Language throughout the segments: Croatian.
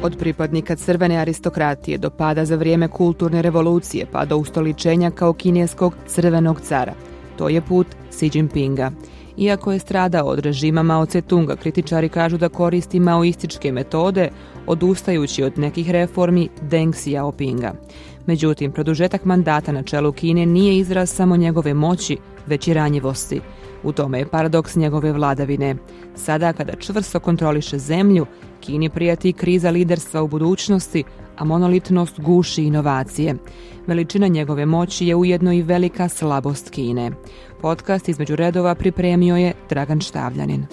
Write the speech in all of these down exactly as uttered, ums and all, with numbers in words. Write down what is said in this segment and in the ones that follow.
Od pripadnika crvene aristokratije do pada za vrijeme kulturne revolucije pa do ustoličenja kao kineskog crvenog cara. To je put Xi Jinpinga. Iako je stradao od režima Mao Tse-tunga, kritičari kažu da koristi maoističke metode, odustajući od nekih reformi Deng Xiaopinga. Međutim, produžetak mandata na čelu Kine nije izraz samo njegove moći, već i ranjivosti. U tome je paradoks njegove vladavine. Sada, kada čvrsto kontroliše zemlju, Kini prijeti kriza liderstva u budućnosti, a monolitnost guši inovacije. Veličina njegove moći je ujedno i velika slabost Kine. Podcast između redova pripremio je Dragan Štavljanin.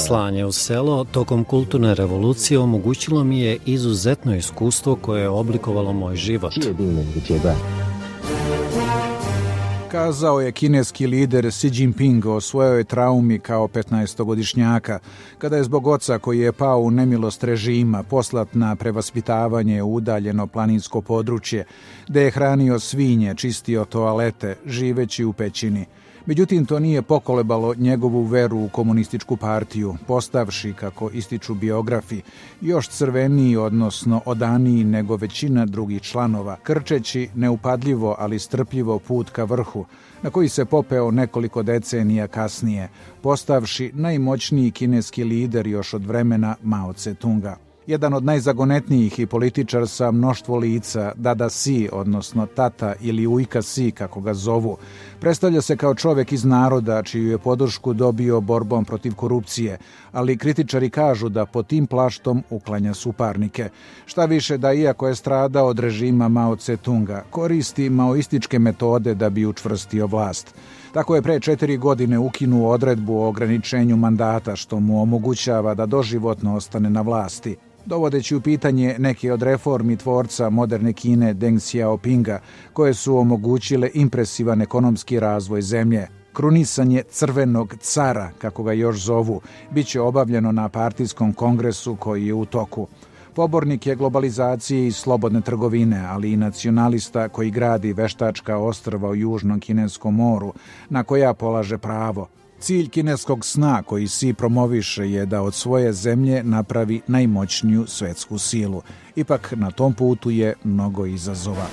Slanje u selo tokom kulturne revolucije omogućilo mi je izuzetno iskustvo koje je oblikovalo moj život. Kazao je kineski lider Xi Jinping o svojoj traumi kao petnaestogodišnjaka, kada je zbog oca koji je pao u nemilost režima poslat na prevaspitavanje u udaljeno planinsko područje, gde je hranio svinje, čistio toalete, živeći u pećini. Međutim, to nije pokolebalo njegovu veru u komunističku partiju, postavši, kako ističu biografi, još crveniji, odnosno odaniji nego većina drugih članova, krčeći neupadljivo, ali strpljivo put ka vrhu, na koji se popeo nekoliko decenija kasnije, postavši najmoćniji kineski lider još od vremena Mao Tse-tunga. Jedan od najzagonetnijih i političar sa mnoštvo lica, Dada Xi, odnosno tata ili ujka Xi, kako ga zovu, predstavlja se kao čovjek iz naroda čiju je podršku dobio borbom protiv korupcije, ali kritičari kažu da pod tim plaštom uklanja suparnike. Šta više da, iako je stradao od režima Mao Tse-tunga, koristi maoističke metode da bi učvrstio vlast. Tako je pre četiri godine ukinuo odredbu o ograničenju mandata, što mu omogućava da doživotno ostane na vlasti, dovodeći u pitanje neke od reformi tvorca moderne Kine Deng Xiaopinga, koje su omogućile impresivan ekonomski razvoj zemlje. Krunisanje crvenog cara, kako ga još zovu, bit će obavljeno na partijskom kongresu koji je u toku. Pobornik je globalizacije i slobodne trgovine, ali i nacionalista koji gradi veštačka ostrva u južnom kineskom moru, na koja polaže pravo. Cilj kineskog sna koji Xi promoviše je da od svoje zemlje napravi najmoćniju svetsku silu. Ipak na tom putu je mnogo izazova.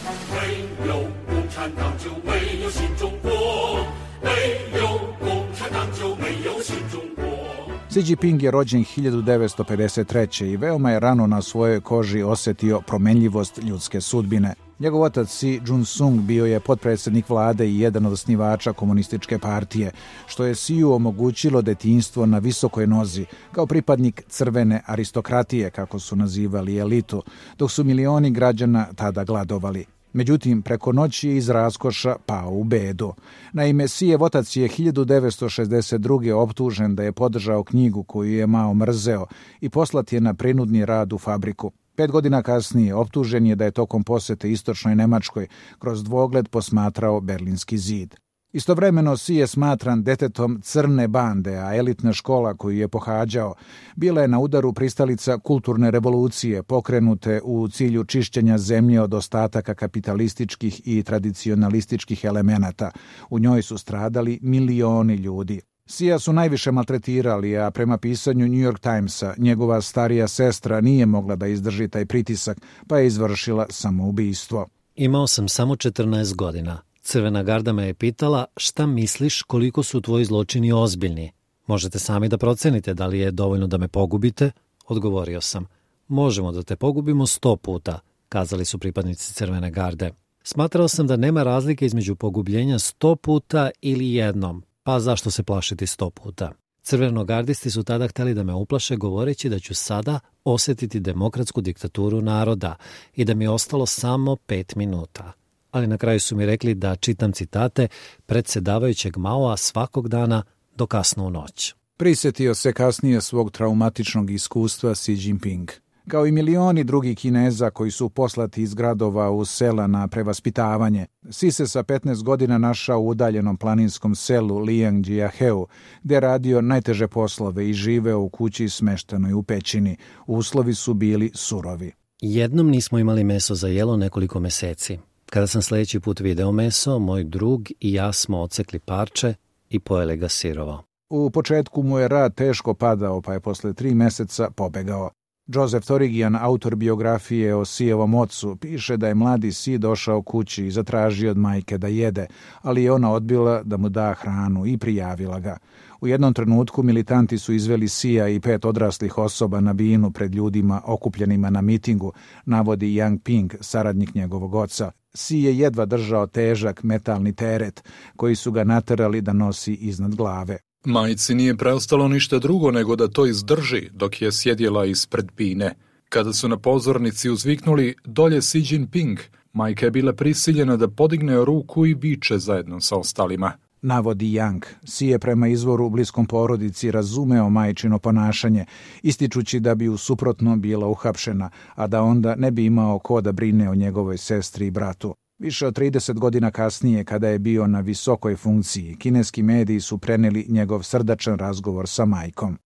Xi Jinping je rođen hiljadu devetsto pedeset treće. i veoma je rano na svojoj koži osjetio promenljivost ljudske sudbine. Njegov otac Xi Jun-sung bio je potpredsjednik vlade i jedan od osnivača komunističke partije, što je Xiu omogućilo detinjstvo na visokoj nozi, kao pripadnik crvene aristokratije, kako su nazivali elitu, dok su milioni građana tada gladovali. Međutim, preko noći je iz raskoša pao u bedu. Naime, Xijev otac je hiljadu devetsto šezdeset druge optužen da je podržao knjigu koju je Mao mrzeo i poslat je na prinudni rad u fabriku. Pet godina kasnije optužen je da je tokom posete istočnoj Nemačkoj kroz dvogled posmatrao Berlinski zid. Istovremeno Xi je smatran detetom crne bande, a elitna škola koju je pohađao bila je na udaru pristalica kulturne revolucije pokrenute u cilju čišćenja zemlje od ostataka kapitalističkih i tradicionalističkih elemenata. U njoj su stradali milioni ljudi. Xija su najviše maltretirali, a prema pisanju New York Timesa, njegova starija sestra nije mogla da izdrži taj pritisak, pa je izvršila samoubistvo. Imao sam samo četrnaest godina. Crvena garda me je pitala šta misliš koliko su tvoji zločini ozbiljni. Možete sami da procenite da li je dovoljno da me pogubite? Odgovorio sam. Možemo da te pogubimo sto puta, kazali su pripadnici Crvene garde. Smatrao sam da nema razlike između pogubljenja sto puta ili jednom, pa zašto se plašiti sto puta? Crvenogardisti su tada hteli da me uplaše govoreći da ću sada osjetiti demokratsku diktaturu naroda i da mi je ostalo samo pet minuta. Ali na kraju su mi rekli da čitam citate predsjedavajućeg Maoa svakog dana do kasno u noć. Prisjetio se kasnije svog traumatičnog iskustva Xi Jinping. Kao i milioni drugih Kineza koji su poslati iz gradova u sela na prevaspitavanje, Xi se sa petnaest godina našao u udaljenom planinskom selu Liangjiaheu, gde je radio najteže poslove i živeo u kući smeštenoj u pećini. Uslovi su bili surovi. Jednom nismo imali meso za jelo nekoliko meseci. Kada sam sljedeći put video meso, moj drug i ja smo odsekli parče i pojeli ga sirovo. U početku mu je rad teško padao, pa je posle tri meseca pobegao. Joseph Torigian, autor biografije o Sijevom ocu, piše da je mladi Si došao kući i zatražio od majke da jede, ali je ona odbila da mu da hranu i prijavila ga. U jednom trenutku militanti su izveli Sija i pet odraslih osoba na binu pred ljudima okupljenima na mitingu, navodi Yang Ping, saradnik njegovog oca. Si je jedva držao težak metalni teret, koji su ga naterali da nosi iznad glave. Majci nije preostalo ništa drugo nego da to izdrži dok je sjedjela ispred bine. Kada su na pozornici uzviknuli dolje Xi Jinping, majka je bila prisiljena da podigne ruku i viče zajedno sa ostalima. Navodi Yang. Si je prema izvoru u bliskom porodici razumeo majčino ponašanje, ističući da bi u suprotno bila uhapšena, a da onda ne bi imao ko da brine o njegovoj sestri i bratu. Više od trideset godina kasnije, kada je bio na visokoj funkciji, kineski mediji su preneli njegov srdačan razgovor sa majkom.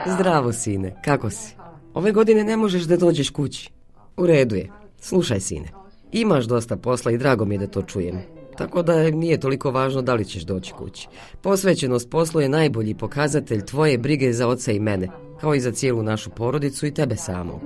Zdravo, sine, kako si? Ove godine ne možeš da dođeš kući. U redu je. Slušaj, sine, imaš dosta posla i drago mi je da to čujem. Tako da nije toliko važno da li ćeš doći kući. Posvećenost poslu je najbolji pokazatelj tvoje brige za oca i mene, kao i za cijelu našu porodicu i tebe samog.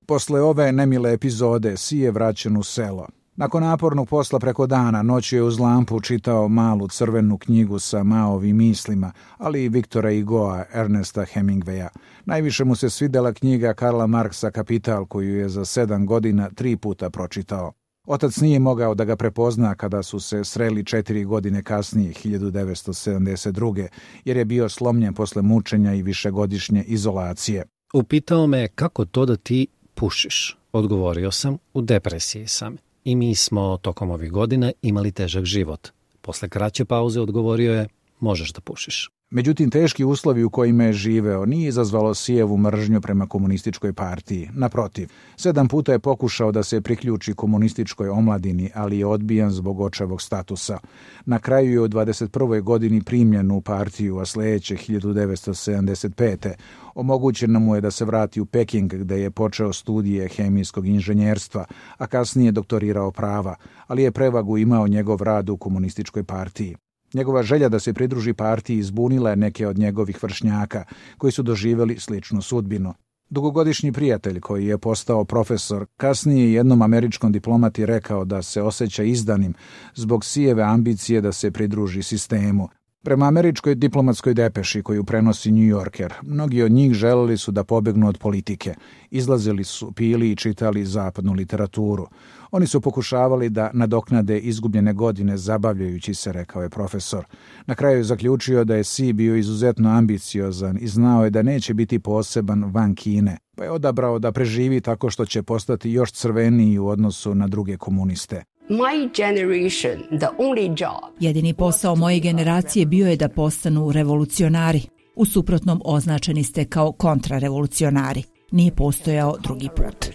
Posle ove nemile epizode Si je vraćen u selo. Nakon napornog posla preko dana, noću je uz lampu čitao malu crvenu knjigu sa Maovim mislima, ali i Viktora Hugoa, Ernesta Hemingwaya. Najviše mu se svidela knjiga Karla Marksa Kapital, koju je za sedam godina tri puta pročitao. Otac nije mogao da ga prepozna kada su se sreli četiri godine kasnije, hiljadu devetsto sedamdeset druge, jer je bio slomljen posle mučenja i višegodišnje izolacije. Upitao me kako to da ti pušiš. Odgovorio sam, u depresiji sam. I mi smo tokom ovih godina imali težak život. Posle kraće pauze odgovorio je, možeš da pušiš. Međutim, teški uslovi u kojima je živeo nije izazvalo Sijevu mržnju prema komunističkoj partiji. Naprotiv, sedam puta je pokušao da se priključi komunističkoj omladini, ali je odbijan zbog očevog statusa. Na kraju je u dvadeset prvoj godini primljen u partiju, a sledeće hiljadu devetsto sedamdeset pete omogućeno mu je da se vrati u Peking, gde je počeo studije hemijskog inženjerstva, a kasnije doktorirao prava, ali je prevagu imao njegov rad u komunističkoj partiji. Njegova želja da se pridruži partiji izbunila je neke od njegovih vršnjaka, koji su doživjeli sličnu sudbinu. Dugogodišnji prijatelj, koji je postao profesor, kasnije jednom američkom diplomati rekao da se osjeća izdanim zbog Sijeve ambicije da se pridruži sistemu. Prema američkoj diplomatskoj depeši koju prenosi New Yorker, mnogi od njih želeli su da pobegnu od politike. Izlazili su, pili i čitali zapadnu literaturu. Oni su pokušavali da nadoknade izgubljene godine zabavljajući se, rekao je profesor. Na kraju je zaključio da je Si bio izuzetno ambiciozan i znao je da neće biti poseban van Kine, pa je odabrao da preživi tako što će postati još crveniji u odnosu na druge komuniste. My generation, the only job. Jedini posao moje generacije bio je da postanu revolucionari. U suprotnom označeni ste kao kontrarevolucionari. Nije postojao drugi put.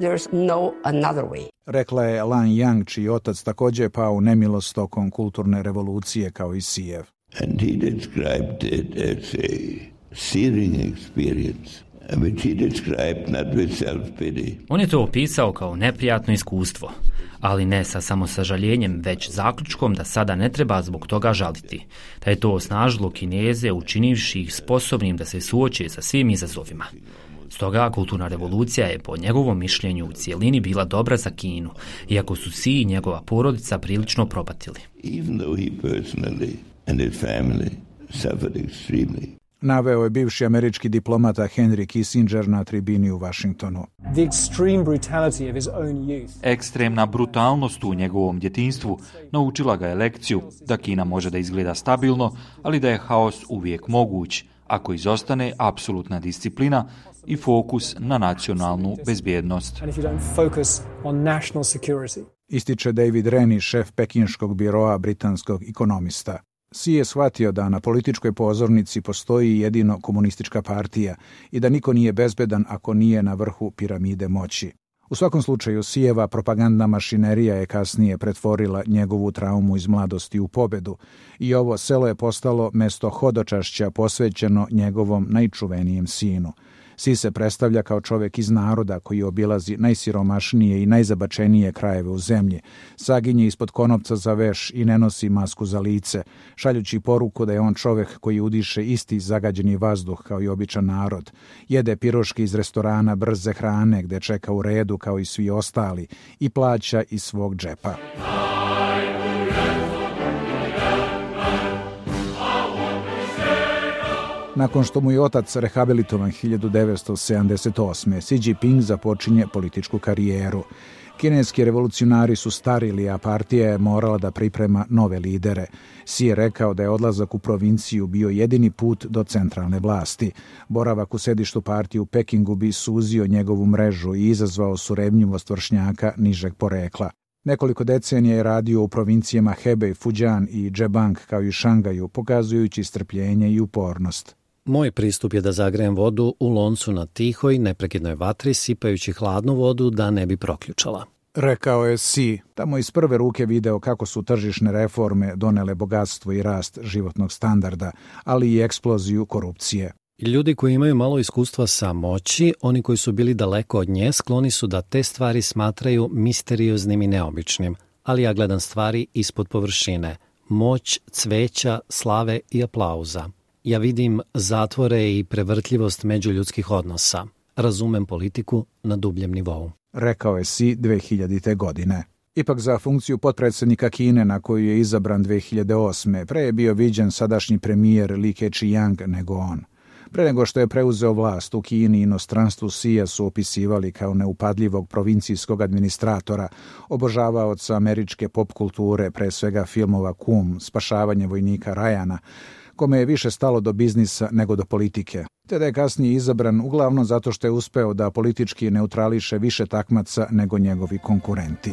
There's no another way. Rekla je Lan Yang, čiji otac također je pao u nemilost tokom kulturne revolucije kao i Sijev. And he described it as a searing experience. On je to opisao kao neprijatno iskustvo, ali ne sa samo sažaljenjem, već zaključkom da sada ne treba zbog toga žaliti, da je to osnažilo Kineze učinivši ih sposobnim da se suoče sa svim izazovima. Stoga kulturna revolucija je po njegovom mišljenju u cijelini bila dobra za Kinu, iako su Si i njegova porodica prilično propatili. Naveo je bivši američki diplomata Henry Kissinger na tribini u Vašingtonu. Ekstremna brutalnost u njegovom djetinjstvu naučila ga je lekciju da Kina može da izgleda stabilno, ali da je haos uvijek moguć, ako izostane apsolutna disciplina i fokus na nacionalnu bezbjednost. Ističe David Rennie, šef pekinškog biroa britanskog ekonomista. Si je shvatio da na političkoj pozornici postoji jedino komunistička partija i da niko nije bezbedan ako nije na vrhu piramide moći. U svakom slučaju, Sijeva propagandna mašinerija je kasnije pretvorila njegovu traumu iz mladosti u pobedu i ovo selo je postalo mesto hodočašća posvećeno njegovom najčuvenijem sinu. Si se predstavlja kao čovjek iz naroda koji obilazi najsiromašnije i najzabačenije krajeve u zemlji, saginje ispod konopca za veš i ne nosi masku za lice, šaljući poruku da je on čovjek koji udiše isti zagađeni vazduh kao i običan narod, jede piroške iz restorana brze hrane gde čeka u redu kao i svi ostali i plaća iz svog džepa. Nakon što mu je otac rehabilitovan hiljadu devetsto sedamdeset osme. Xi Jinping započinje političku karijeru. Kineski revolucionari su starili, a partija je morala da priprema nove lidere. Xi je rekao da je odlazak u provinciju bio jedini put do centralne vlasti. Boravak u sedištu partije u Pekingu bi suzio njegovu mrežu i izazvao surevnjivost vršnjaka nižeg porekla. Nekoliko decenija je radio u provincijama Hebei, Fujian i Zhejiang kao i Šangaju, pokazujući strpljenje i upornost. Moj pristup je da zagrejem vodu u loncu na tihoj, neprekidnoj vatri, sipajući hladnu vodu da ne bi proključala. Rekao je Xi, tamo iz prve ruke video kako su tržišne reforme donele bogatstvo i rast životnog standarda, ali i eksploziju korupcije. Ljudi koji imaju malo iskustva sa moći, oni koji su bili daleko od nje, skloni su da te stvari smatraju misterioznim i neobičnim, ali ja gledam stvari ispod površine, moć, cveća, slave i aplauza. Ja vidim zatvore i prevrtljivost međuljudskih odnosa. Razumem politiku na dubljem nivou. Rekao je Xi dve hiljadite. godine. Ipak za funkciju potpredsjednika Kine na koju je izabran dve hiljade osme. pre je bio viđen sadašnji premijer Li Keqiang nego on. Pre nego što je preuzeo vlast u Kini i inostranstvu, Xija su opisivali kao neupadljivog provincijskog administratora, obožavaoca američke pop kulture, pre svega filmova Kum, Spašavanje vojnika Ryana, kome je više stalo do biznisa nego do politike. Te da je kasnije izabran uglavnom zato što je uspeo da politički neutrališe više takmaca nego njegovi konkurenti.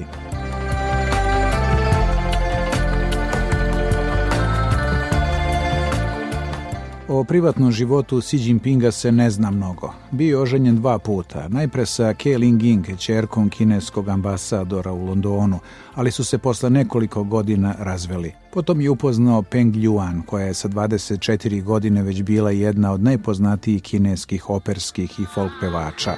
O privatnom životu Xi Jinpinga se ne zna mnogo. Bio je oženjen dva puta, najpre sa Ke Linjing, ćerkom kineskog ambasadora u Londonu, ali su se posle nekoliko godina razveli. Potom je upoznao Peng Ljuan, koja je sa dvadeset četiri godine već bila jedna od najpoznatijih kineskih operskih i folk pevača.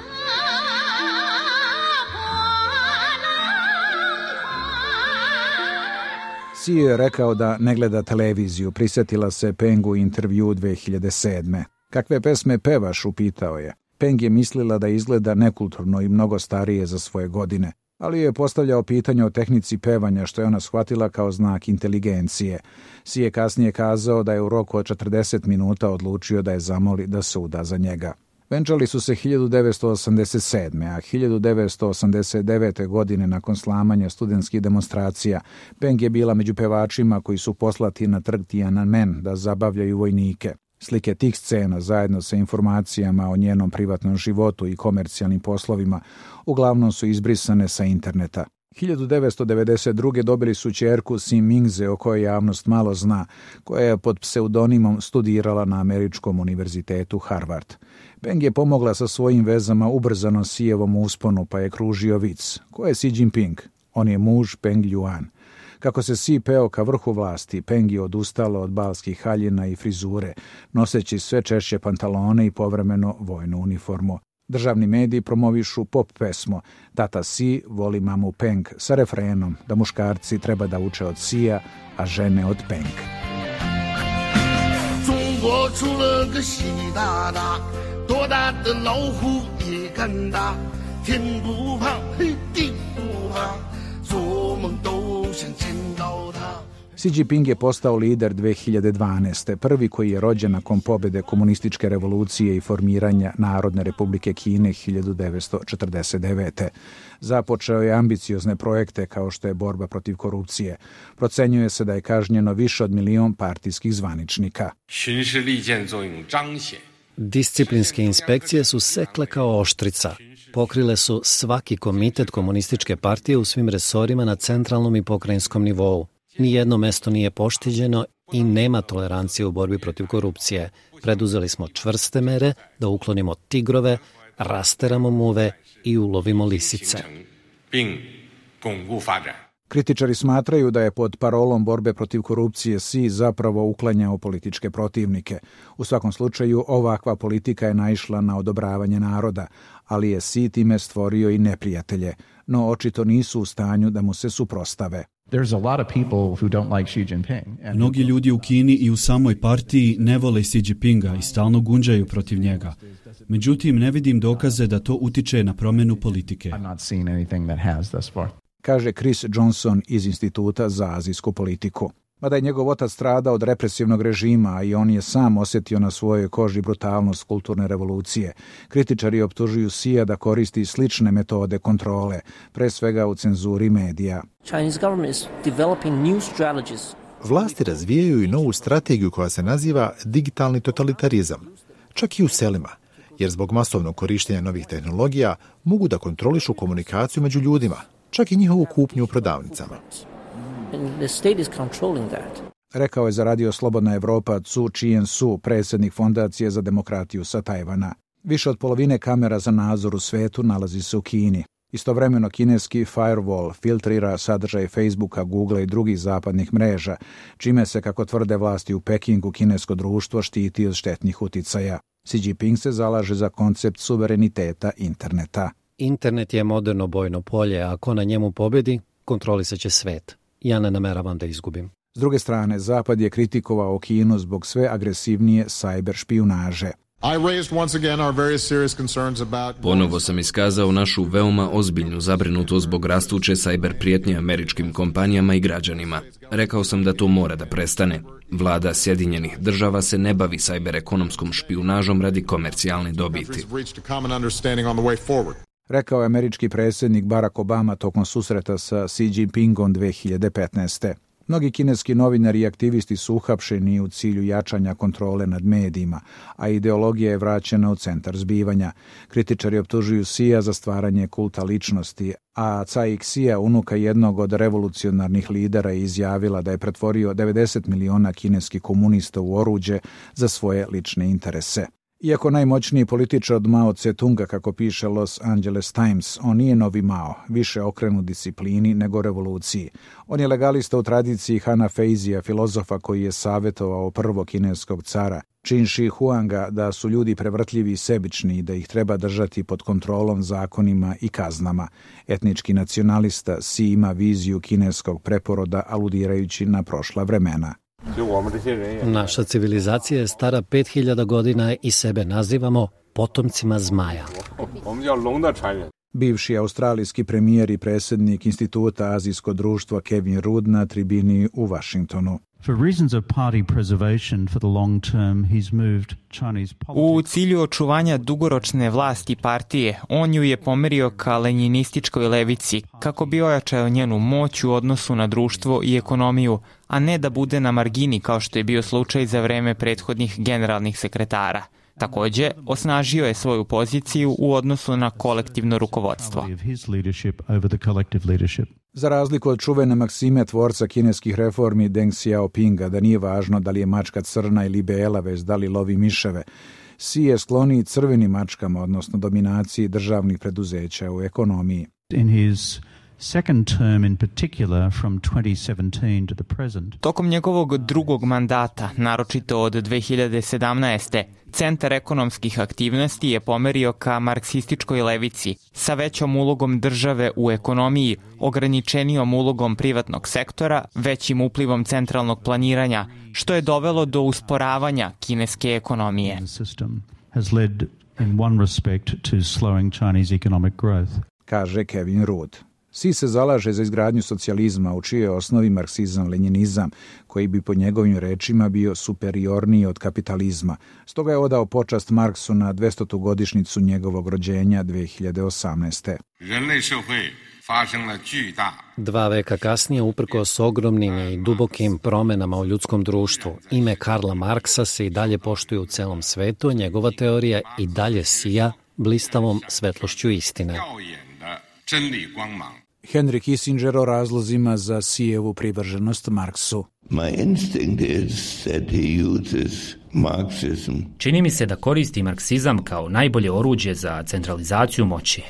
Xi je rekao da ne gleda televiziju, prisjetila se Pengu intervju dve hiljade sedme. Kakve pesme pevaš, upitao je. Peng je mislila da izgleda nekulturno i mnogo starije za svoje godine, ali je postavljao pitanje o tehnici pevanja, što je ona shvatila kao znak inteligencije. Xi je kasnije kazao da je u roku od četrdeset minuta odlučio da je zamoli da se uda za njega. Venčali su se hiljadu devetsto osamdeset sedme. a hiljadu devetsto osamdeset devete. godine nakon slamanja studentskih demonstracija, Peng je bila među pevačima koji su poslati na trg Tiananmen da zabavljaju vojnike. Slike tih scena zajedno sa informacijama o njenom privatnom životu i komercijalnim poslovima uglavnom su izbrisane sa interneta. hiljadu devetsto devedeset druge. dobili su ćerku Xi Mingze, o kojoj javnost malo zna, koja je pod pseudonimom studirala na Američkom univerzitetu Harvard. Peng je pomogla sa svojim vezama ubrzano Xijevom usponu, pa je kružio vic. Ko je Xi Jinping? On je muž Peng Ljuan. Kako se Xi peo ka vrhu vlasti, Peng je odustala od balskih haljina i frizure, noseći sve češće pantalone i povremeno vojnu uniformu. Državni mediji promovišu pop pesmu Tata Xi voli mamu Peng sa refrenom da muškarci treba da uče od Xija, a žene od Peng. Xi Jinping je postao lider dve hiljade dvanaeste. prvi koji je rođen nakon pobjede komunističke revolucije i formiranja Narodne republike Kine hiljadu devetsto četrdeset devete. Započeo je ambiciozne projekte kao što je borba protiv korupcije. Procenjuje se da je kažnjeno više od milion partijskih zvaničnika. Disciplinske inspekcije su sekle kao oštrica. Pokrile su svaki komitet komunističke partije u svim resorima na centralnom i pokrajinskom nivou. Nijedno mesto nije poštiđeno i nema tolerancije u borbi protiv korupcije. Preduzeli smo čvrste mere da uklonimo tigrove, rasteramo muve i ulovimo lisice. Kritičari smatraju da je pod parolom borbe protiv korupcije Xi zapravo uklanjao političke protivnike. U svakom slučaju, ovakva politika je naišla na odobravanje naroda, ali je Xi time stvorio i neprijatelje, no očito nisu u stanju da mu se suprostave. Mnogi ljudi u Kini i u samoj partiji ne vole Xi Jinpinga i stalno gunđaju protiv njega. Međutim, ne vidim dokaze da to utiče na promjenu politike. Kaže Chris Johnson iz Instituta za azijsku politiku. Mada je njegov otac stradao od represivnog režima i on je sam osjetio na svojoj koži brutalnost kulturne revolucije, kritičari optužuju Xija da koristi slične metode kontrole, pre svega u cenzuri medija. Vlasti razvijaju i novu strategiju koja se naziva digitalni totalitarizam, čak i u selima, jer zbog masovnog korištenja novih tehnologija mogu da kontrolišu komunikaciju među ljudima, čak i njihovu kupnju u prodavnicama. Rekao je za Radio Slobodna Evropa Cu Chien-su, predsjednik Fondacije za demokratiju sa Tajvana. Više od polovine kamera za nadzor u svetu nalazi se u Kini. Istovremeno kineski firewall filtrira sadržaj Facebooka, Googlea i drugih zapadnih mreža, čime se, kako tvrde vlasti u Pekingu, kinesko društvo štiti od štetnih uticaja. Xi Jinping se zalaže za koncept suvereniteta interneta. Internet je moderno bojno polje, a ako na njemu pobedi, kontrolisat će svet. Ja ne nameravam da izgubim. S druge strane, Zapad je kritikovao Kinu zbog sve agresivnije sajber špijunaže. Ponovo sam iskazao našu veoma ozbiljnu zabrinutost zbog rastuće sajber prijetnje američkim kompanijama i građanima. Rekao sam da to mora da prestane. Vlada Sjedinjenih država se ne bavi sajber ekonomskom špijunažom radi komercijalne dobiti. Rekao je američki predsjednik Barack Obama tokom susreta sa Xi Jinpingom dve hiljade petnaeste. Mnogi kineski novinari i aktivisti su uhapšeni u cilju jačanja kontrole nad medijima, a ideologija je vraćena u centar zbivanja. Kritičari optužuju Xija za stvaranje kulta ličnosti, a Cai Xia, unuka jednog od revolucionarnih lidera, je izjavila da je pretvorio devedeset miliona kineskih komunista u oruđe za svoje lične interese. Iako najmoćniji političar od Mao Tse-tunga, kako piše Los Angeles Times, on nije novi Mao, više okrenut disciplini nego revoluciji. On je legalista u tradiciji Hana Feizija, filozofa koji je savjetovao prvog kineskog cara, Qin Shi Huanga, da su ljudi prevrtljivi i sebični i da ih treba držati pod kontrolom, zakonima i kaznama. Etnički nacionalista Xi ima viziju kineskog preporoda, aludirajući na prošla vremena. Naša civilizacija je stara pet hiljada godina i sebe nazivamo potomcima zmaja. Bivši australijski premijer i predsjednik Instituta azijsko društva Kevin Rudd na tribini u Washingtonu. U cilju očuvanja dugoročne vlasti partije, on ju je pomerio ka lenjinističkoj levici, kako bi ojačao njenu moć u odnosu na društvo i ekonomiju, a ne da bude na margini kao što je bio slučaj za vreme prethodnih generalnih sekretara. Također, osnažio je svoju poziciju u odnosu na kolektivno rukovodstvo. Za razliku od čuvene maksime tvorca kineskih reformi Deng Xiaopinga, da nije važno da li je mačka crna ili bela, već da li lovi miševe, Xi je skloniji crvenim mačkama, odnosno dominaciji državnih preduzeća u ekonomiji. In his second term in particular from twenty seventeen to the present. Tokom njegovog drugog mandata, naročito od dve hiljade sedamnaeste. Centar ekonomskih aktivnosti je pomerio ka marksističkoj levici sa većom ulogom države u ekonomiji, ograničenijom ulogom privatnog sektora, većim uplivom centralnog planiranja, što je dovelo do usporavanja kineske ekonomije. Has led in one respect to slowing Chinese economic growth. Kaže Kevin Rudd. Xi se zalaže za izgradnju socijalizma u čijoj osnovi marksizam-lenjinizam, koji bi po njegovim rečima bio superiorniji od kapitalizma. Stoga je odao počast Marksu na dvestotu godišnjicu njegovog rođenja dve hiljade osamnaeste. Dva veka kasnije, uprkos ogromnim i dubokim promenama u ljudskom društvu, ime Karla Marksa se i dalje poštuje u celom svetu, a njegova teorija i dalje sija blistavom svetlošću istine. Henry Kissinger o razlozima za Xijevu privrženost Marksu. Čini mi se da koristi marksizam kao najbolje oruđe za centralizaciju moći,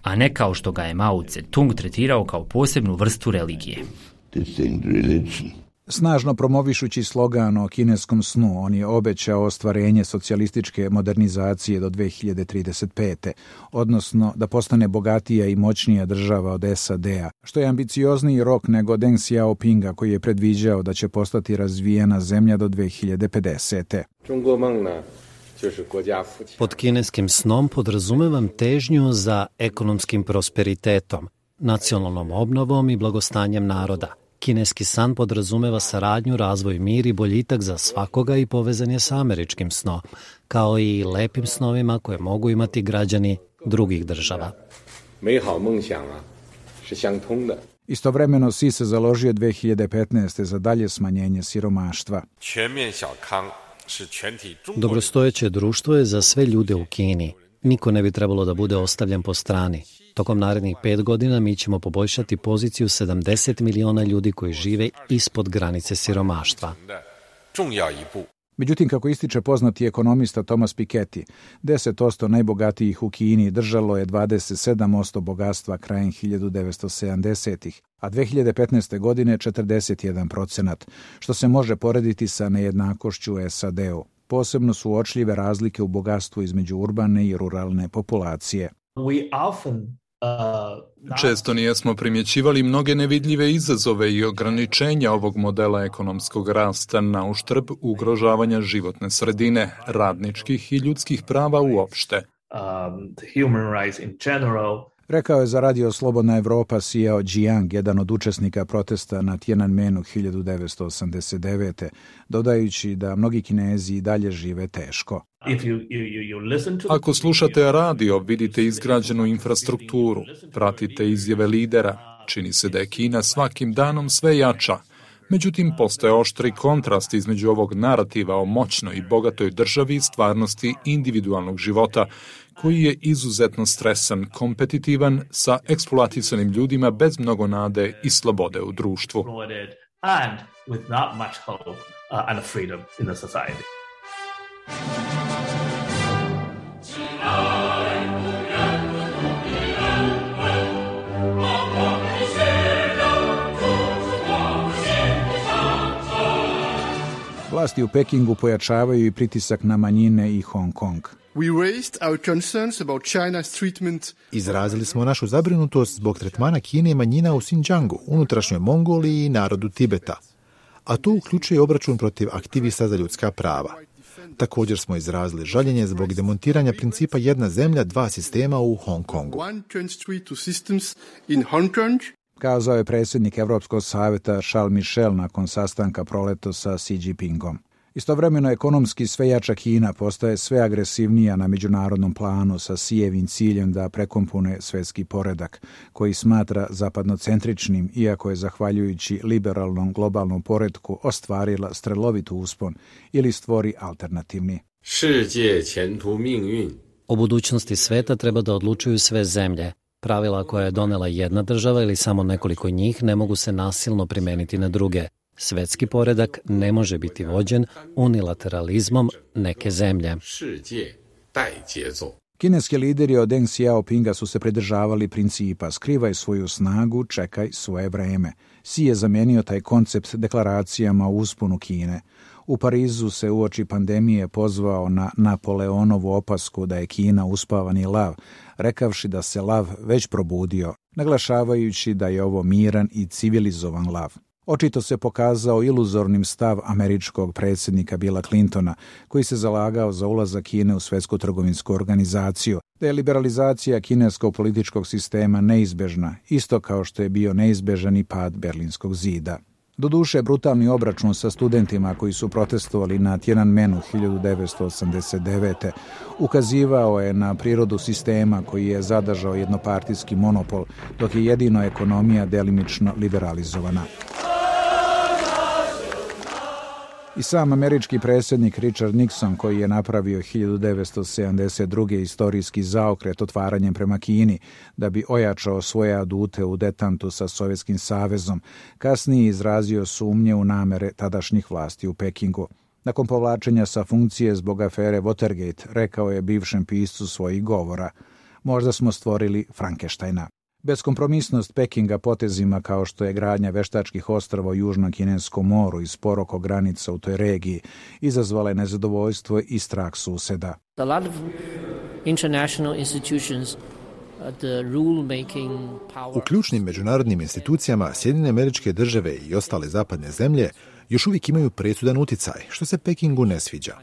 a ne kao što ga je Mao Tse-tung tretirao kao posebnu vrstu religije. Snažno promovišući slogan o kineskom snu, on je obećao ostvarenje socijalističke modernizacije do dve hiljade trideset pete. odnosno da postane bogatija i moćnija država od S A D-a, što je ambiciozniji rok nego Deng Xiaopinga koji je predviđao da će postati razvijena zemlja do dve hiljade pedesete. Pod kineskim snom podrazumevam težnju za ekonomskim prosperitetom, nacionalnom obnovom i blagostanjem naroda. Kineski san podrazumeva saradnju, razvoj, mir i boljitak za svakoga i povezan je sa američkim snom, kao i lepim snovima koje mogu imati građani drugih država. Istovremeno Xi se založio dve hiljade petnaeste. za dalje smanjenje siromaštva. Dobrostojeće društvo je za sve ljude u Kini. Niko ne bi trebalo da bude ostavljen po strani. Tokom narednih pet godina mi ćemo poboljšati poziciju sedamdeset miliona ljudi koji žive ispod granice siromaštva. Međutim, kako ističe poznati ekonomista Thomas Piketty, deset posto najbogatijih u Kini držalo je dvadeset sedam posto bogatstva krajem hiljadu devetsto sedamdesetih, a dve hiljade petnaeste. godine četrdeset jedan procenat, što se može porediti sa nejednakošću u S A D-u. Posebno su uočljive razlike u bogatstvu između urbane i ruralne populacije. Često nijesmo primjećivali mnoge nevidljive izazove i ograničenja ovog modela ekonomskog rasta na uštrb ugrožavanja životne sredine, radničkih i ljudskih prava uopšte. Rekao je za radio Slobodna Evropa Xiao Jiang, jedan od učesnika protesta na Tiananmenu hiljadu devetsto osamdeset devete. dodajući da mnogi Kinezi i dalje žive teško. Ako slušate radio, vidite izgrađenu infrastrukturu, pratite izjave lidera, čini se da je Kina svakim danom sve jača. Međutim, postoje oštri kontrast između ovog narativa o moćnoj i bogatoj državi i stvarnosti individualnog života, koji je izuzetno stresan, kompetitivan, sa eksploatisanim ljudima bez mnogo nade i slobode u društvu. Vlasti u Pekingu pojačavaju i pritisak na manjine i Hong Kong. Izrazili smo našu zabrinutost zbog tretmana Kine i manjina u Xinjiangu, unutrašnjoj Mongoliji i narodu Tibeta, a to uključuje obračun protiv aktivista za ljudska prava. Također smo izrazili žaljenje zbog demontiranja principa jedna zemlja, dva sistema u Hong Kongu. Kazao je predsjednik Evropskog savjeta Charles Michel nakon sastanka proleto sa Xi Jinpingom. Istovremeno ekonomski sve jača Kina postaje sve agresivnija na međunarodnom planu sa Xijevim ciljem da prekompone svjetski poredak, koji smatra zapadnocentričnim, iako je zahvaljujući liberalnom globalnom poretku ostvarila strelovit uspon ili stvori alternativni. O budućnosti sveta treba da odlučuju sve zemlje. Pravila koja je donela jedna država ili samo nekoliko njih ne mogu se nasilno primeniti na druge. Svetski poredak ne može biti vođen unilateralizmom neke zemlje. Kineski lideri od Deng Xiaopinga su se pridržavali principa skrivaj svoju snagu, čekaj svoje vreme. Xi je zamijenio taj koncept deklaracijama u usponu Kine. U Parizu se uoči pandemije pozvao na Napoleonovu opasku da je Kina uspavani lav, rekavši da se lav već probudio, naglašavajući da je ovo miran i civilizovan lav. Očito se pokazao iluzornim stav američkog predsjednika Billa Clintona, koji se zalagao za ulazak Kine u svjetsku trgovinsku organizaciju, da je liberalizacija kineskog političkog sistema neizbežna, isto kao što je bio neizbežan i pad Berlinskog zida. Doduše, brutalni obračun sa studentima koji su protestovali na Tiananmenu hiljadu devetsto osamdeset devete. ukazivao je na prirodu sistema koji je zadržao jednopartijski monopol, dok je jedino ekonomija delimično liberalizovana. I sam američki predsjednik Richard Nixon, koji je napravio hiljadu devetsto sedamdeset druge istorijski zaokret otvaranjem prema Kini da bi ojačao svoje adute u detantu sa Sovjetskim savezom, kasnije izrazio sumnje u namere tadašnjih vlasti u Pekingu. Nakon povlačenja sa funkcije zbog afere Watergate, rekao je bivšem piscu svojih govora: Možda smo stvorili Frankensteina. Beskompromisnost Pekinga potezima kao što je gradnja veštačkih ostrava u Južnom Kineskom moru i spor oko granica u toj regiji izazvala je nezadovoljstvo i strah suseda. A lot of international institutions, the rule making power. U ključnim međunarodnim institucijama Sjedinjene Američke Države i ostale zapadne zemlje još uvijek imaju presudan uticaj, što se Pekingu ne sviđa.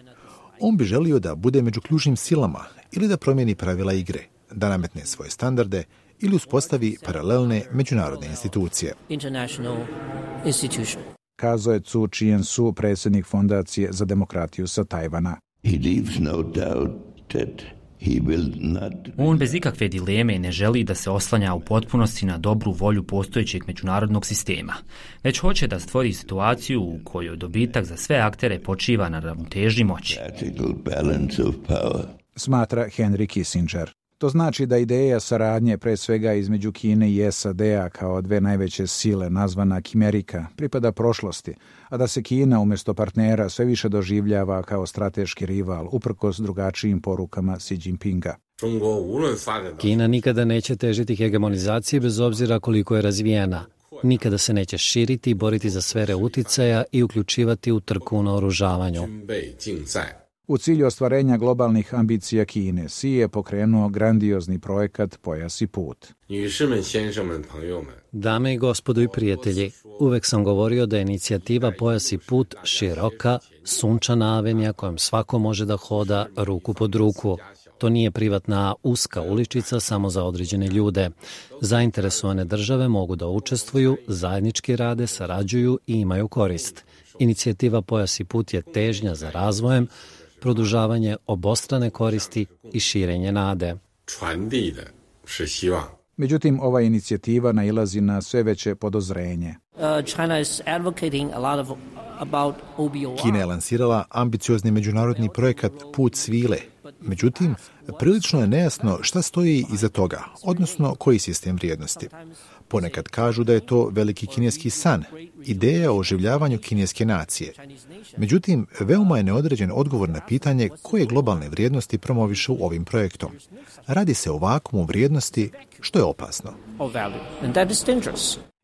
On bi želio da bude među ključnim silama ili da promijeni pravila igre, da nametne svoje standarde ili uspostavi paralelne međunarodne institucije. Kazao je Cu Chien-su, predsjednik Fondacije za demokratiju sa Tajvana. On bez ikakve dileme ne želi da se oslanja u potpunosti na dobru volju postojećeg međunarodnog sistema, već hoće da stvori situaciju u kojoj dobitak za sve aktere počiva na ravnoteži moći. Smatra Henry Kissinger. To znači da ideja saradnje pre svega između Kine i S A D-a kao dve najveće sile nazvana Kimerika pripada prošlosti, a da se Kina umjesto partnera sve više doživljava kao strateški rival uprkos drugačijim porukama Xi Jinpinga. Kina nikada neće težiti hegemonizaciji bez obzira koliko je razvijena. Nikada se neće širiti i boriti za sfere uticaja i uključivati u trku na oružavanju. U cilju ostvarenja globalnih ambicija Kine, Xi je pokrenuo grandiozni projekat Pojas i put. Dame i gospodo i prijatelji, uvek sam govorio da je inicijativa Pojas i put široka, sunčana avenija kojom svako može da hoda ruku pod ruku. To nije privatna uska uličica samo za određene ljude. Zainteresovane države mogu da učestvuju, zajednički rade, sarađuju i imaju korist. Inicijativa Pojas i put je težnja za razvojem, produžavanje obostrane koristi i širenje nade. Međutim, ova inicijativa nailazi na sve veće podozrenje. Kina je lansirala ambiciozni međunarodni projekat Put svile. Međutim, prilično je nejasno šta stoji iza toga, odnosno koji sistem vrijednosti. Ponekad kažu da je to veliki kineski san, ideja o oživljavanju kineske nacije. Međutim, veoma je neodređen odgovor na pitanje koje globalne vrijednosti promovišu ovim projektom. Radi se o vakuumu vrijednosti, što je opasno.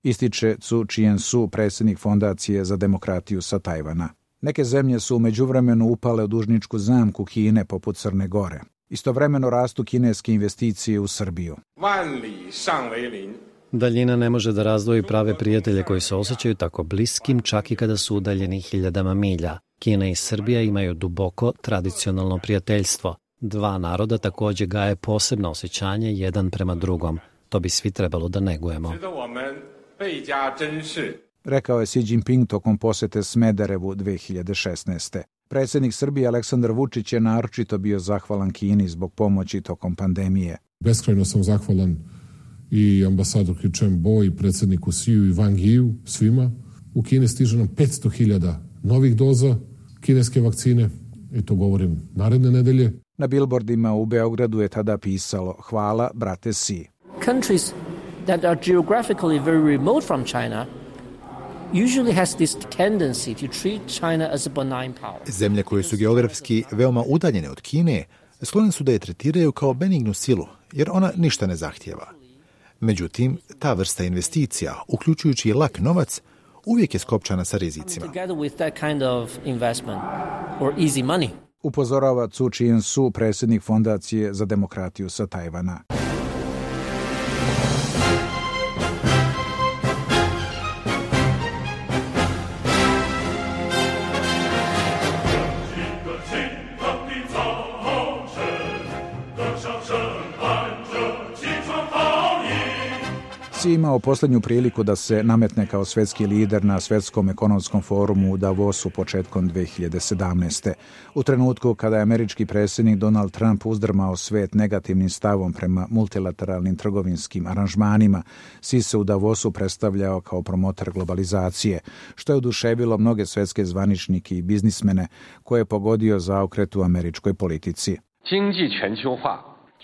Ističe Cu Chien-su, predsjednik Fondacije za demokratiju sa Tajvana. Neke zemlje su u međuvremenu upale u dužničku zamku Kine poput Crne Gore. Istovremeno rastu kineske investicije u Srbiju. Daljina ne može da razdvoji prave prijatelje koji se osjećaju tako bliskim čak i kada su udaljeni hiljadama milja. Kina i Srbija imaju duboko tradicionalno prijateljstvo. Dva naroda također gaje posebno osjećanje jedan prema drugom. To bi svi trebalo da negujemo. Rekao je Xi Jinping tokom posete Smederevu dve hiljade šesnaeste. Predsjednik Srbije Aleksandar Vučić je naročito bio zahvalan Kini zbog pomoći tokom pandemije. Beskrajno sam zahvalan i ambasadorki Chen Bo i predsjedniku Xiju i Wang Yiu, svima. U Kini stiže nam petsto hiljada novih doza kineske vakcine, i to govorim naredne nedelje. Na billboardima u Beogradu je tada pisalo hvala brate Xi. Countries that are geographically very remote from China usually has this tendency to treat China as a benign power. Zemlje koje su geografski veoma udaljene od Kine sklone su da je tretiraju kao benignu silu, jer ona ništa ne zahtijeva. Međutim, ta vrsta investicija, uključujući i lak novac, uvijek je skopčana sa rizicima. Upozorava Cu Chien-su, predsjednik Fondacije za demokratiju sa Tajvana. Xi imao posljednju priliku da se nametne kao svjetski lider na svjetskom ekonomskom forumu u Davosu početkom dve hiljade sedamnaeste. U trenutku kada je američki predsjednik Donald Trump uzdrmao svijet negativnim stavom prema multilateralnim trgovinskim aranžmanima, Xi se u Davosu predstavljao kao promotor globalizacije, što je oduševilo mnoge svjetske zvaničnike i biznismene koje je pogodio zaokret u američkoj politici.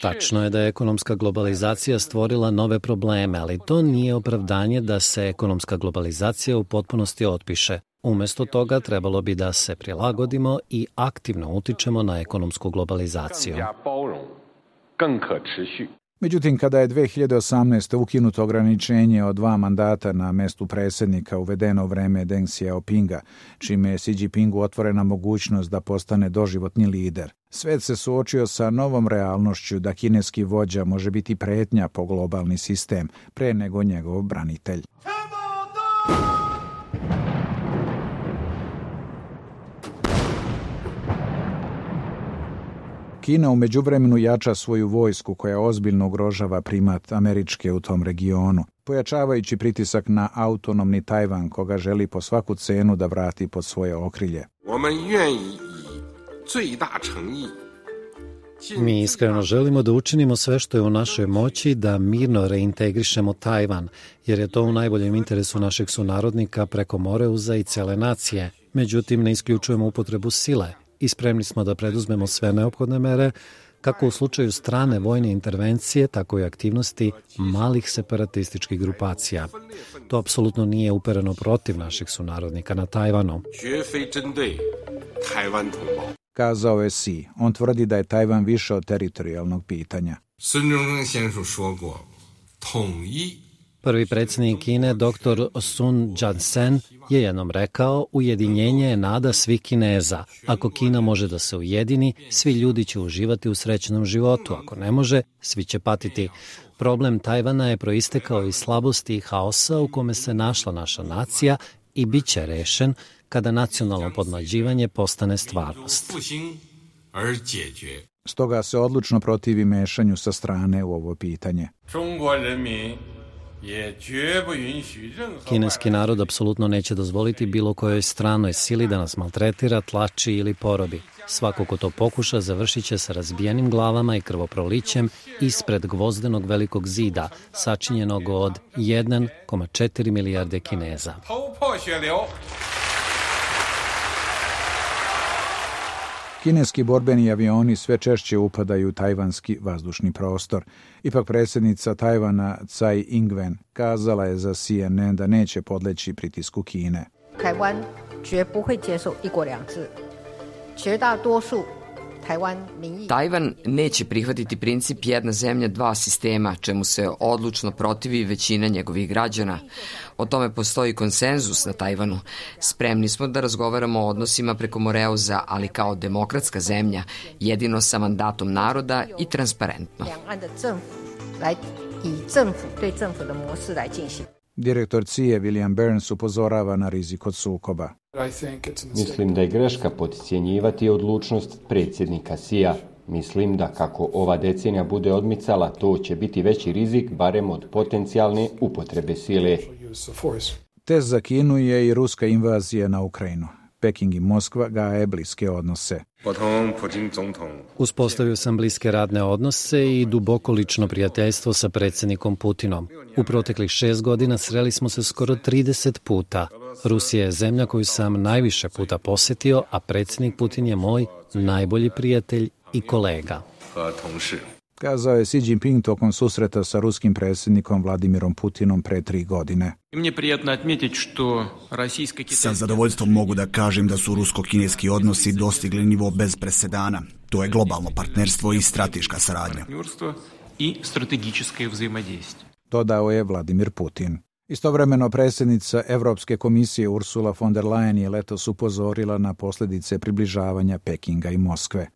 Tačno je da je ekonomska globalizacija stvorila nove probleme, ali to nije opravdanje da se ekonomska globalizacija u potpunosti otpiše. Umjesto toga trebalo bi da se prilagodimo i aktivno utičemo na ekonomsku globalizaciju. Međutim, kada je dve hiljade osamnaeste. ukinuto ograničenje od dva mandata na mestu predsjednika uvedeno u vreme Deng Xiaopinga, čime je Xi Jinpingu otvorena mogućnost da postane doživotni lider, svet se suočio sa novom realnošću da kineski vođa može biti pretnja po globalni sistem pre nego njegov branitelj. Kina u međuvremenu jača svoju vojsku koja ozbiljno ugrožava primat Američke u tom regionu, pojačavajući pritisak na autonomni Tajvan koga želi po svaku cenu da vrati pod svoje okrilje. Mi iskreno želimo da učinimo sve što je u našoj moći da mirno reintegrišemo Tajvan, jer je to u najboljem interesu našeg sunarodnika preko Moreuza i cele nacije. Međutim, ne isključujemo upotrebu sile i spremni smo da preduzmemo sve neophodne mere, kako u slučaju strane vojne intervencije, tako i aktivnosti malih separatističkih grupacija. To apsolutno nije upereno protiv naših sunarodnika na Tajvanu. Kazao je Xi. On tvrdi da je Tajvan više od teritorijalnog pitanja. Prvi predsjednik Kine, doktor Sun Yat-sen, je jednom rekao: ujedinjenje je nada svih Kineza. Ako Kina može da se ujedini, svi ljudi će uživati u srećnom životu. Ako ne može, svi će patiti. Problem Tajvana je proistekao iz slabosti i haosa u kome se našla naša nacija i bit će rešen kada nacionalno podmlađivanje postane stvarnost. Stoga se odlučno protivi mešanju sa strane u ovo pitanje. Kineski narod apsolutno neće dozvoliti bilo kojoj stranoj sili da nas maltretira, tlači ili porobi. Svako ko to pokuša završit će sa razbijenim glavama i krvoprolićem ispred gvozdenog velikog zida, sačinjenog od jedan zarez četiri milijarde Kineza. Kineski borbeni avioni sve češće upadaju u tajvanski vazdušni prostor. Ipak predsjednica Tajvana Tsai Ing-wen kazala je za C N N da neće podleći pritisku Kine. Tajvan neće prihvatiti princip jedna zemlja, dva sistema, čemu se odlučno protivi većina njegovih građana. O tome postoji konsenzus na Tajvanu. Spremni smo da razgovaramo o odnosima preko Moreuza, ali kao demokratska zemlja, jedino sa mandatom naroda i transparentno. Direktor C I A William Burns upozorava na rizik od sukoba. Mislim da je greška podcjenjivati odlučnost predsjednika C I A. Mislim da kako ova decenija bude odmicala, to će biti veći rizik, barem od potencijalne upotrebe sile. Test za Kinu je i ruska invazija na Ukrajinu. Peking i Moskva gaje bliske odnose. Uspostavio sam bliske radne odnose i duboko lično prijateljstvo sa predsjednikom Putinom. U proteklih šest godina sreli smo se skoro trideset puta. Rusija je zemlja koju sam najviše puta posjetio, a predsjednik Putin je moj najbolji prijatelj i kolega. Kazao je Xi Jinping tokom susreta sa ruskim predsjednikom Vladimirom Putinom pre tri godine. Sa zadovoljstvom mogu da kažem da su rusko-kineski odnosi dostigli nivo bez presedana. To je globalno partnerstvo i strateška saradnja. Dodao je Vladimir Putin. Istovremeno predsjednica Evropske komisije Ursula von der Leyen je letos upozorila na posljedice približavanja Pekinga i Moskve.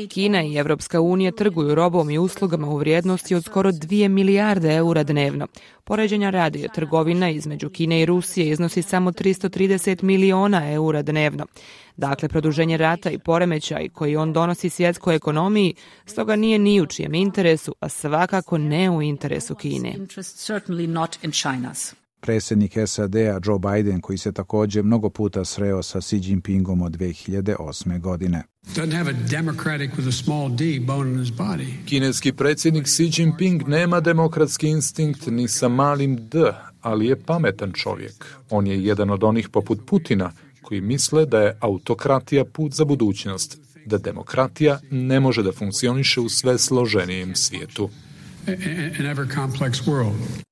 Kina i Evropska unija trguju robom i uslugama u vrijednosti od skoro dvije milijarde eura dnevno. Poređenja radi, trgovina između Kine i Rusije iznosi samo tristo trideset miliona eura dnevno. Dakle, produženje rata i poremećaj koji on donosi svjetskoj ekonomiji stoga nije ni u čijem interesu, a svakako ne u interesu Kine. Predsjednik S A D-a Joe Biden, koji se također mnogo puta sreo sa Xi Jinpingom od dve hiljade osme. godine. Kineski predsjednik Xi Jinping nema demokratski instinkt ni sa malim d, ali je pametan čovjek. On je jedan od onih poput Putina koji misle da je autokratija put za budućnost, da demokratija ne može da funkcioniše u sve složenijem svijetu.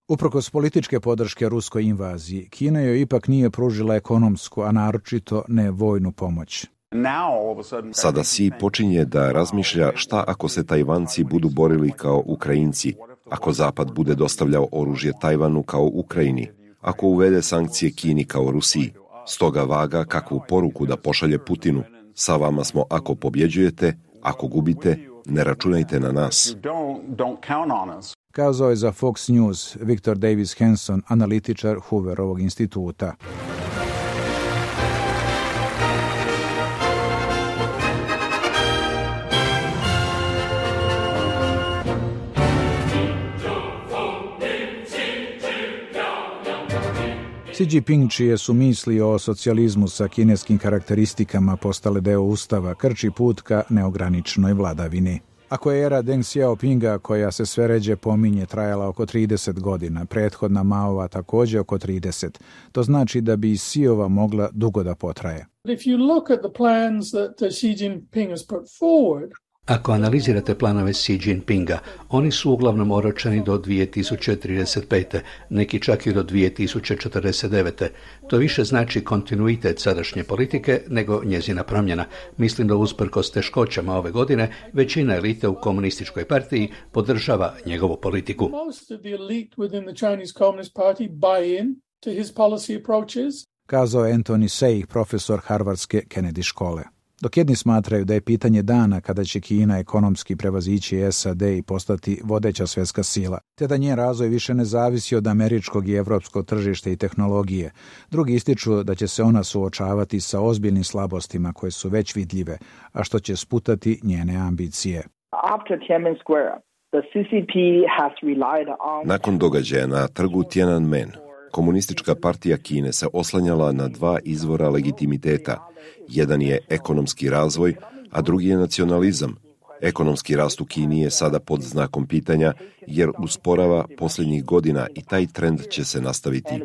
Uprkos političke podrške ruskoj invaziji, Kina joj ipak nije pružila ekonomsku, a naročito ne vojnu pomoć. Sada Xi počinje da razmišlja šta ako se Tajvanci budu borili kao Ukrajinci, ako Zapad bude dostavljao oružje Tajvanu kao Ukrajini, ako uvede sankcije Kini kao Rusiji. Stoga vaga kakvu poruku da pošalje Putinu. Sa vama smo ako pobjeđujete, ako gubite, ne računajte na nas. Kazao je za Fox News Victor Davis Hanson, analitičar Hooverovog instituta. Xi Jinping, čije su misli o socijalizmu sa kineskim karakteristikama postale deo ustava, krči put ka neograničenoj vladavini. Ako je era Deng Xiaopinga, koja se sve ređe pominje, trajala oko trideset godina, prethodna Maova također oko trideset, to znači da bi Xiova mogla dugo da potraje. If you look at the plans that Xi Jinping has put forward, ako analizirate planove Xi Jinpinga, oni su uglavnom oročeni do dvije tisuće trideset pete, neki čak i do dvije tisuće četrdeset devete. To više znači kontinuitet sadašnje politike nego njezina promjena. Mislim da usprkos teškoćama ove godine, većina elite u komunističkoj partiji podržava njegovu politiku. most of the elite within the Chinese Communist Party buy in to his policy approaches. Kazao je Anthony Seih, profesor Harvardske Kennedy škole. Dok jedni smatraju da je pitanje dana kada će Kina ekonomski prevazići S A D i postati vodeća svjetska sila, te da njen razvoj više ne zavisi od američkog i evropskog tržišta i tehnologije, drugi ističu da će se ona suočavati sa ozbiljnim slabostima koje su već vidljive, a što će sputati njene ambicije. After Tiananmen Square, the C C P has relied on... Nakon događaja na trgu Tiananmen, Komunistička partija Kine se oslanjala na dva izvora legitimiteta. Jedan je ekonomski razvoj, a drugi je nacionalizam. Ekonomski rast u Kini je sada pod znakom pitanja jer usporava posljednjih godina i taj trend će se nastaviti.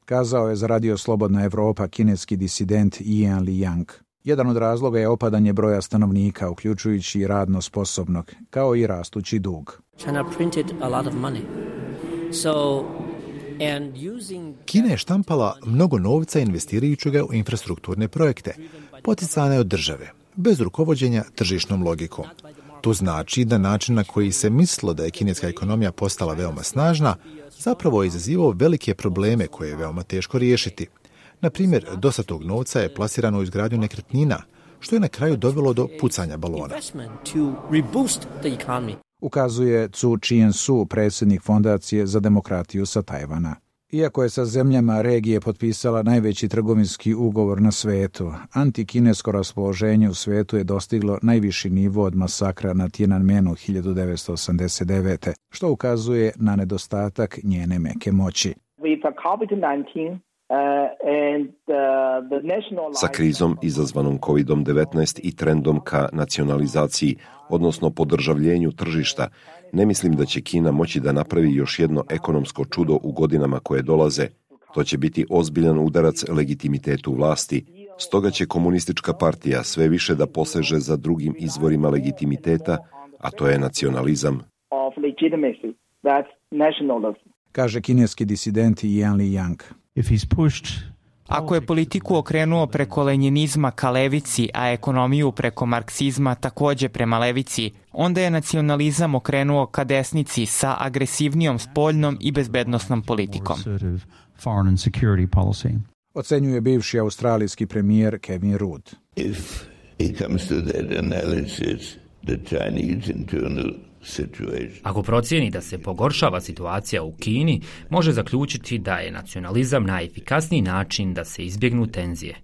Kazao je za Radio Slobodna Evropa kineski disident Ian Liang. Jedan od razloga je opadanje broja stanovnika, uključujući i radno sposobnog, kao i rastući dug. China printed a lot of money. So, and using... Kina je štampala mnogo novca investirajući ga u infrastrukturne projekte, poticane od države, bez rukovođenja tržišnom logikom. To znači da način na koji se mislilo da je kineska ekonomija postala veoma snažna, zapravo je izazivao velike probleme koje je veoma teško riješiti. Na primjer, dosta tog novca je plasirano u izgradnju nekretnina, što je na kraju dovelo do pucanja balona. Ukazuje Cu Chien-su, predsjednik Fondacije za demokratiju sa Tajvana. Iako je sa zemljama regije potpisala najveći trgovinski ugovor na svetu, antikinesko raspoloženje u svetu je dostiglo najviši nivo od masakra na Tiananmenu hiljadu devetsto osamdeset devete. što ukazuje na nedostatak njene meke moći. Sa krizom izazvanom kovid devetnaest i trendom ka nacionalizaciji, odnosno podržavljenju tržišta, ne mislim da će Kina moći da napravi još jedno ekonomsko čudo u godinama koje dolaze. To će biti ozbiljan udarac legitimitetu vlasti. Stoga će komunistička partija sve više da poseže za drugim izvorima legitimiteta, a to je nacionalizam. Kaže kineski disident Yan Liang. Ako je politiku okrenuo preko lenjinizma ka levici, a ekonomiju preko marksizma također prema levici, onda je nacionalizam okrenuo ka desnici sa agresivnijom spoljnom i bezbednosnom politikom. Ocenjuje bivši australijski premijer Kevin Rudd. If it comes to that analysis, the Chinese internal Ako procijeni da se pogoršava situacija u Kini, može zaključiti da je nacionalizam najefikasniji način da se izbjegnu tenzije.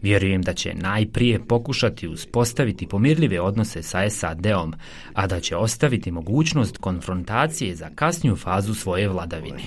Vjerujem da će najprije pokušati uspostaviti pomirljive odnose sa S A D-om, a da će ostaviti mogućnost konfrontacije za kasniju fazu svoje vladavine.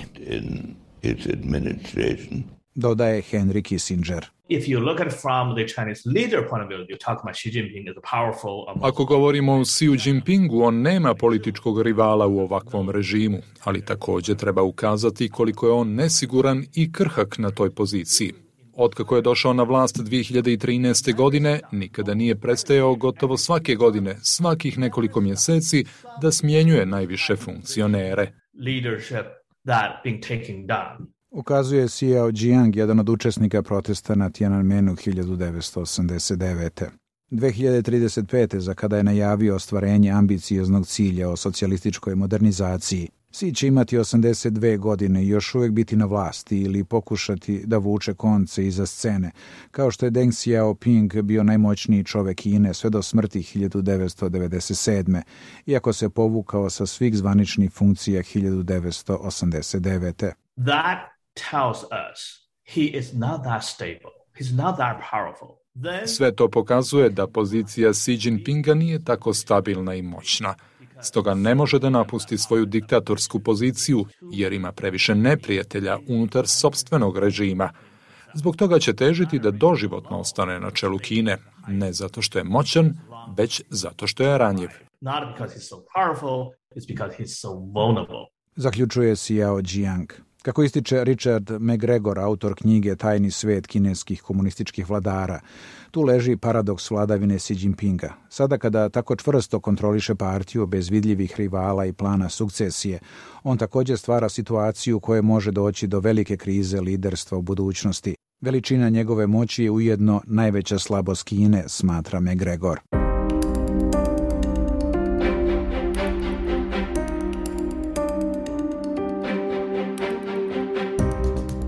Dodaje Henry Kissinger. If you look at it from the Chinese leader point of view, you talk about Xi Jinping as a powerful... Ako govorimo o Xi Jinpingu, on nema političkog rivala u ovakvom režimu, ali također treba ukazati koliko je on nesiguran i krhak na toj poziciji. Otkako je došao na vlast dvije hiljade trinaeste. godine, nikada nije prestajao gotovo svake godine, svakih nekoliko mjeseci, da smjenjuje najviše funkcionere. Leadership that being taken down. Ukazuje Xiao Jiang, jedan od učesnika protesta na Tiananmenu hiljadu devetsto osamdeset devete. dve hiljade trideset pete. za kada je najavio ostvarenje ambicioznog cilja o socijalističkoj modernizaciji, Xi će imati osamdeset dve godine i još uvijek biti na vlasti ili pokušati da vuče konce iza scene, kao što je Deng Xiaoping bio najmoćniji čovek Kine sve do smrti hiljadu devetsto devedeset sedme. iako se povukao sa svih zvaničnih funkcija hiljadu devetsto osamdeset devete. That tells us he is not that stable. He's not that powerful. Sve to pokazuje da pozicija Xi Jinpinga nije tako stabilna i moćna. Stoga ne može da napusti svoju diktatorsku poziciju jer ima previše neprijatelja unutar sopstvenog režima. Zbog toga će težiti da doživotno ostane na čelu Kine, ne zato što je moćan, već zato što je ranjiv. Not because he's so powerful, it's because he's so vulnerable. Zaključuje Xiao Jiang. Kako ističe Richard McGregor, autor knjige Tajni svet kineskih komunističkih vladara, tu leži paradoks vladavine Xi Jinpinga. Sada kada tako čvrsto kontroliše partiju bez vidljivih rivala i plana sukcesije, on također stvara situaciju u kojoj može doći do velike krize liderstva u budućnosti. Veličina njegove moći je ujedno najveća slabost Kine, smatra McGregor.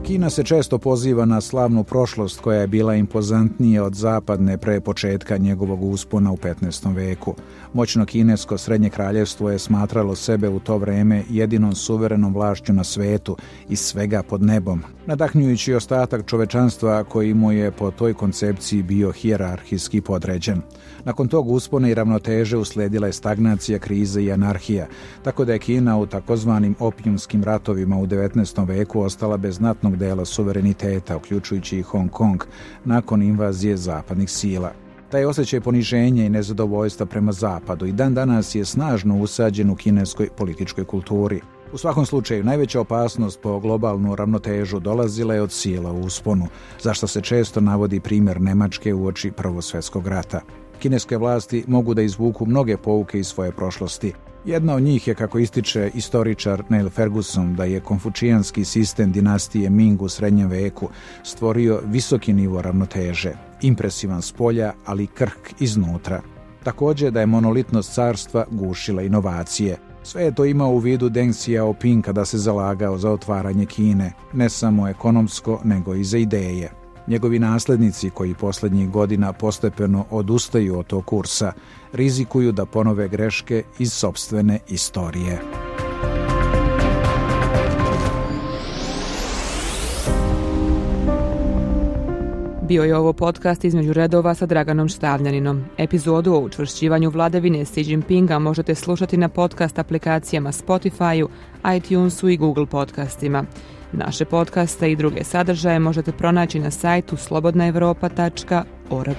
Kina se često poziva na slavnu prošlost koja je bila impozantnija od zapadne pre početka njegovog uspona u petnaestom veku. Moćno kinesko srednje kraljevstvo je smatralo sebe u to vreme jedinom suverenom vlašću na svetu i svega pod nebom, nadahnjujući ostatak čovečanstva koji mu je po toj koncepciji bio hijerarhijski podređen. Nakon tog uspona i ravnoteže usledila je stagnacija, krize i anarhija, tako da je Kina u takozvanim opijumskim ratovima u devetnaestom veku ostala bez znatnog dela suvereniteta, uključujući i Hong Kong, nakon invazije zapadnih sila. Taj osjećaj poniženja i nezadovoljstva prema zapadu i dan danas je snažno usađen u kineskoj političkoj kulturi. U svakom slučaju, najveća opasnost po globalnu ravnotežu dolazila je od sila u usponu, zašto se često navodi primjer Nemačke uoči Prvog svjetskog rata. Kineske vlasti mogu da izvuku mnoge pouke iz svoje prošlosti. Jedna od njih je, kako ističe istoričar Neil Ferguson, da je konfučijanski sistem dinastije Ming u srednjem veku stvorio visoki nivo ravnoteže, impresivan s polja, ali krhk iznutra. Također da je monolitnost carstva gušila inovacije. Sve je to imao u vidu Deng Xiaoping kada se zalagao za otvaranje Kine, ne samo ekonomsko, nego i za ideje. Njegovi naslednici, koji posljednjih godina postepeno odustaju od tog kursa, rizikuju da ponove greške iz sopstvene istorije. Bio je ovo podcast Između redova sa Draganom Štavljaninom. Epizodu o učvršćivanju vladavine Xi Jinpinga možete slušati na podcast aplikacijama Spotify-u, iTunesu i Google podcastima. Naše podcaste i druge sadržaje možete pronaći na sajtu slobodna evropa tačka org.